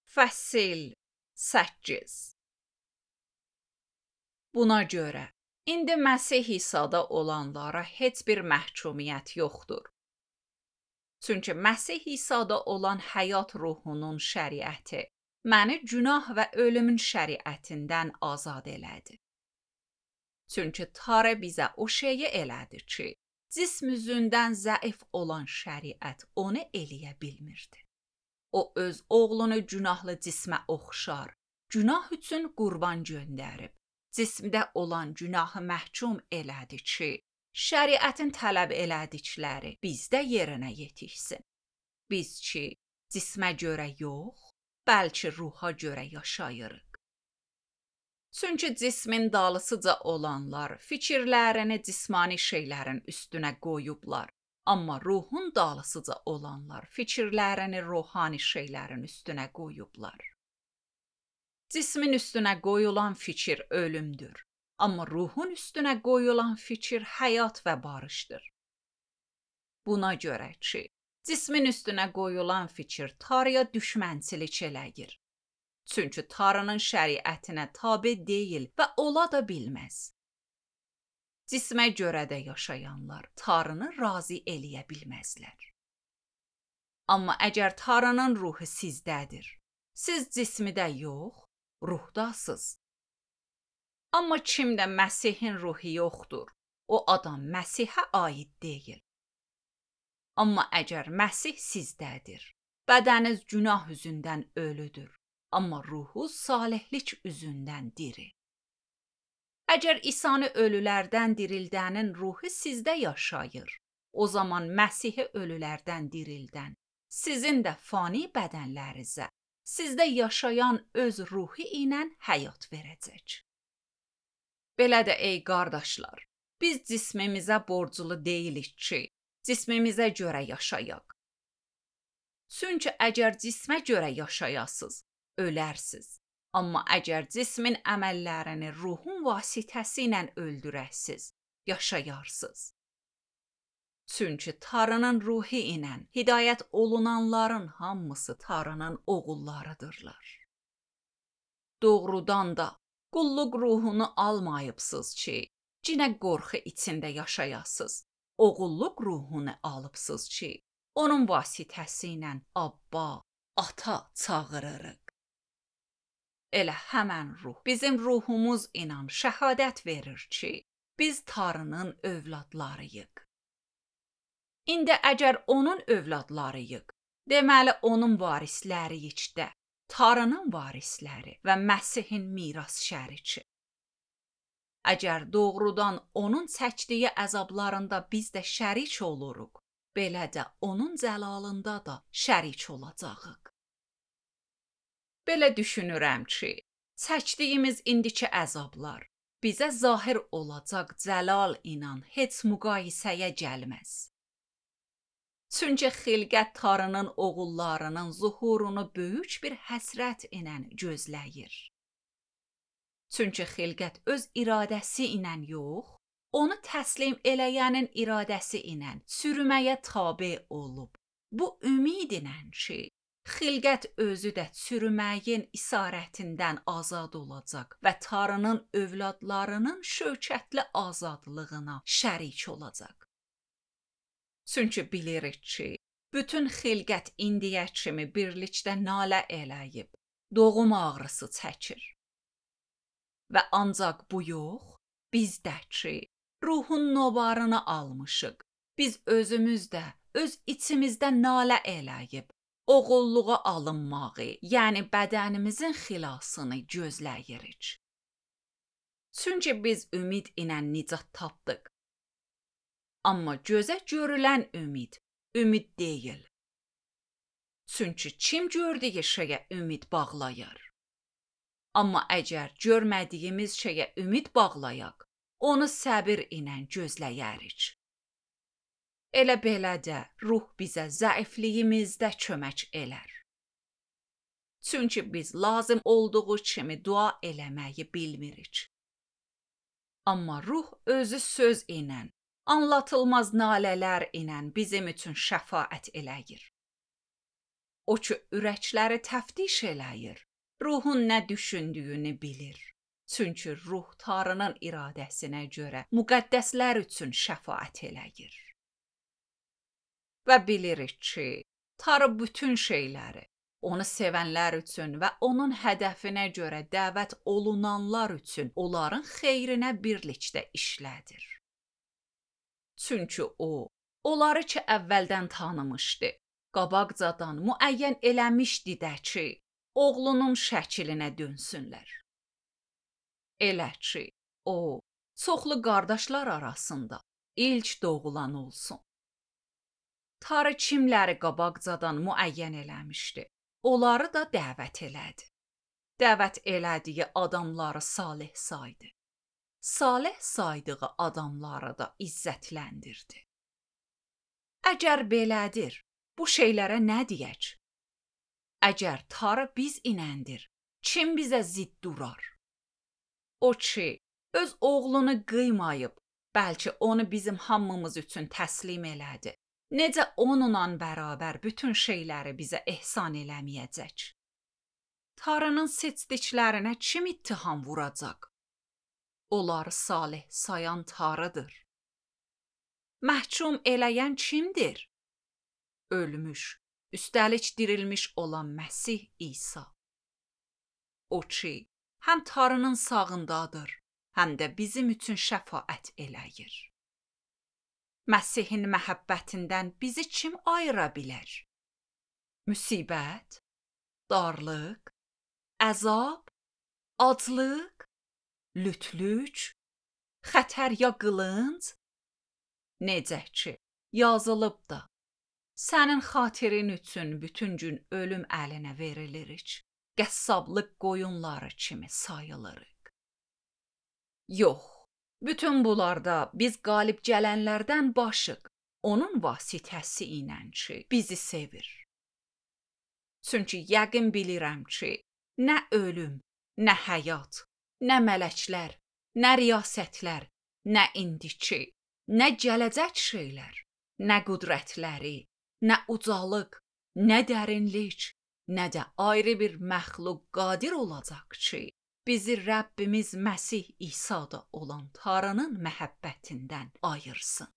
Fəsil 8. Buna görə, indi Məsih İsa'da olanlara heç bir məhkumiyyət yoxdur. Çünki Məsih İsa'da olan həyat ruhunun şəriəti məni günah və ölümün şəriətindən azad elədi. Çünki Tanrı bizə o şeyi elədi ki, cism üzündən zəif olan şəriət onu eləyə bilmirdi. O öz oğlunu günahlı cismə oxşar, günah üçün qurban göndərib, cismdə olan günahı məhkum elədi ki, şəriətin tələb elədikləri bizdə yerinə yetişsin. Biz ki, cismə görə yox, bəlkə ruha görə yaşayırıq. Çünki cismin dalısıca olanlar fikirlərini cismani şeylərin üstünə qoyublar. Amma ruhun dalısıca olanlar fikirlərini ruhani şeylərin üstünə qoyublar. Cismin üstünə qoyulan fikir ölümdür. Amma ruhun üstünə qoyulan fikir həyat və barışdır. Buna görə ki, cismin üstünə qoyulan fikir Tanrıya düşmənçilik eləyir. Çünki Tanrının şəriətinə tabe deyil və ola da bilməz. Cismə görə də yaşayanlar Tanrını razı eləyə bilməzlər. Amma əgər Tanrının ruhu sizdədir, siz cismidə yox, ruhdasınız. Amma kimdə Məsihin ruhu yoxdur, o adam Məsihə aid deyil. Amma əgər Məsih sizdədir, bədəniz günah üzündən ölüdür, amma ruhu salihlik üzündən diri. Əgər İsa'nı ölülərdən dirildənin ruhu sizdə yaşayır, o zaman Məsihi ölülərdən dirildən, sizin də fani bədənlərinizə, sizdə yaşayan öz ruhu ilə həyat verəcək. Belə də ey qardaşlar, biz cismimizə borclu deyilik ki, cismimizə görə yaşayaq. Çünki əgər cismə görə yaşayasınız, ölərsiz. Amma əgər cismin əməllərini ruhun vasitəsilə öldürəsiz, yaşayarsınız. Çünki Tanrının ruhu ilə hidayət olunanların hamısı Tanrının oğullarıdırlar. Doğrudan da qulluq ruhunu almayıbsınız ki, cinə qorxu içində yaşayasınız. Oğulluq ruhunu alıbsınız ki, onun vasitəsilə Abba, Ata çağırırıq. Elə həmən ruh bizim ruhumuz ilə şəhadət verir ki, biz Tanrının övladlarıyıq. İndi əgər onun övladlarıyıq, deməli onun varisləriyik də, Tanrının varisləri və Məsihin miras şəriki. Əgər doğrudan onun çəkdiyi əzablarında biz də şərik oluruq, belə də onun cəlalında da şərik olacağıq. Belə düşünürəm ki, çəkdiyimiz indiki əzablar bizə zahir olacaq cəlal ilə heç müqayisəyə gəlməz. Çünki xilqət Tanrının oğullarının zuhurunu böyük bir həsrət ilə gözləyir. Çünki xilqət öz iradəsi ilə yox, onu təslim eləyənin iradəsi ilə çürüməyə tabe olub. Bu ümid ilə ki, xilqət özü də çürüməyin isarətindən azad olacaq və Tanrının övladlarının şövkətli azadlığına şərik olacaq. Çünki bilirik ki, bütün xilqət indiyə kimi birlikdə nalə eləyib, doğum ağrısı çəkir. Və ancaq bu yox, bizdə ki, ruhun nobarını almışıq, biz özümüz də öz içimizdə nalə eləyib, oğulluğa alınmağı, yəni bədənimizin xilasını gözləyirik. Çünki biz ümid ilə nicat tapdıq. Amma gözə görülən ümid deyil. Çünki kim gördüyü şeyə ümid bağlayır? Amma əgər görmədiyimiz şeyə ümid bağlayaq, onu səbir ilə gözləyərik. Elə belə də ruh bizə zəifliyimizdə kömək elər. Çünki biz lazım olduğu kimi dua eləməyi bilmirik. Amma ruh özü söz ilə, anlatılmaz nalələr ilə bizim üçün şəfaət eləyir. O ki ürəkləri təftiş eləyir, ruhun nə düşündüyünü bilir. Çünki ruh Tanrının iradəsinə görə müqəddəslər üçün şəfaət eləyir. Və bilirik ki, Tanrı bütün şeyləri onu sevənlər üçün və onun hədəfinə görə dəvət olunanlar üçün onların xeyrinə birlikdə işlədir. Çünki o, onları ki əvvəldən tanımışdı, qabaqcadan müəyyən eləmişdi də ki, oğlunun şəklinə dönsünlər. Elə ki, o, çoxlu qardaşlar arasında ilk doğulan olsun. Tanrı kimləri qabaqcadan müəyyən eləmişdi, onları da dəvət elədi. Dəvət elədiyi adamları salih saydı. Salih saydığı adamları da izzətləndirdi. Əgər belədir, bu şeylərə nə deyək? Əgər Tanrı biz inəndir, kim bizə zidd durar? O ki, öz oğlunu qıymayıb, bəlkə onu bizim hamımız üçün təslim elədi. Necə onunla bərabər bütün şeyləri bizə ehsan eləməyəcək? Tanrının seçdiklərinə kim ittiham vuracaq? Onları salih sayan Tanrıdır. Məhkum eləyən kimdir? Ölmüş, üstəlik dirilmiş olan Məsih İsa. O ki, həm Tanrının sağındadır, həm də bizim üçün şəfaət eləyir. Məsihin məhəbbətindən bizi kim ayıra bilər? Müsibət, darlıq, əzab, aclıq, lütlük, xətər ya qılınc? Necə ki, yazılıb da, sənin xatirin üçün bütün gün ölüm əlinə verilirik, qəssablıq qoyunları kimi sayılırıq. Yox, bütün bunlarda biz qalib gələnlərdən başıq, onun vasitəsi ilə ki, bizi sevir. Çünki yəqin bilirəm ki, nə ölüm, nə həyat, nə mələklər, nə riyasətlər, nə indiki, nə gələcək şeylər, nə qüdrətləri, nə ucalıq, nə dərinlik, nə də ayrı bir məxluq qadir olacaq ki, bizi Rəbbimiz Məsih İsa'da olan Tanrının məhəbbətindən ayırsın.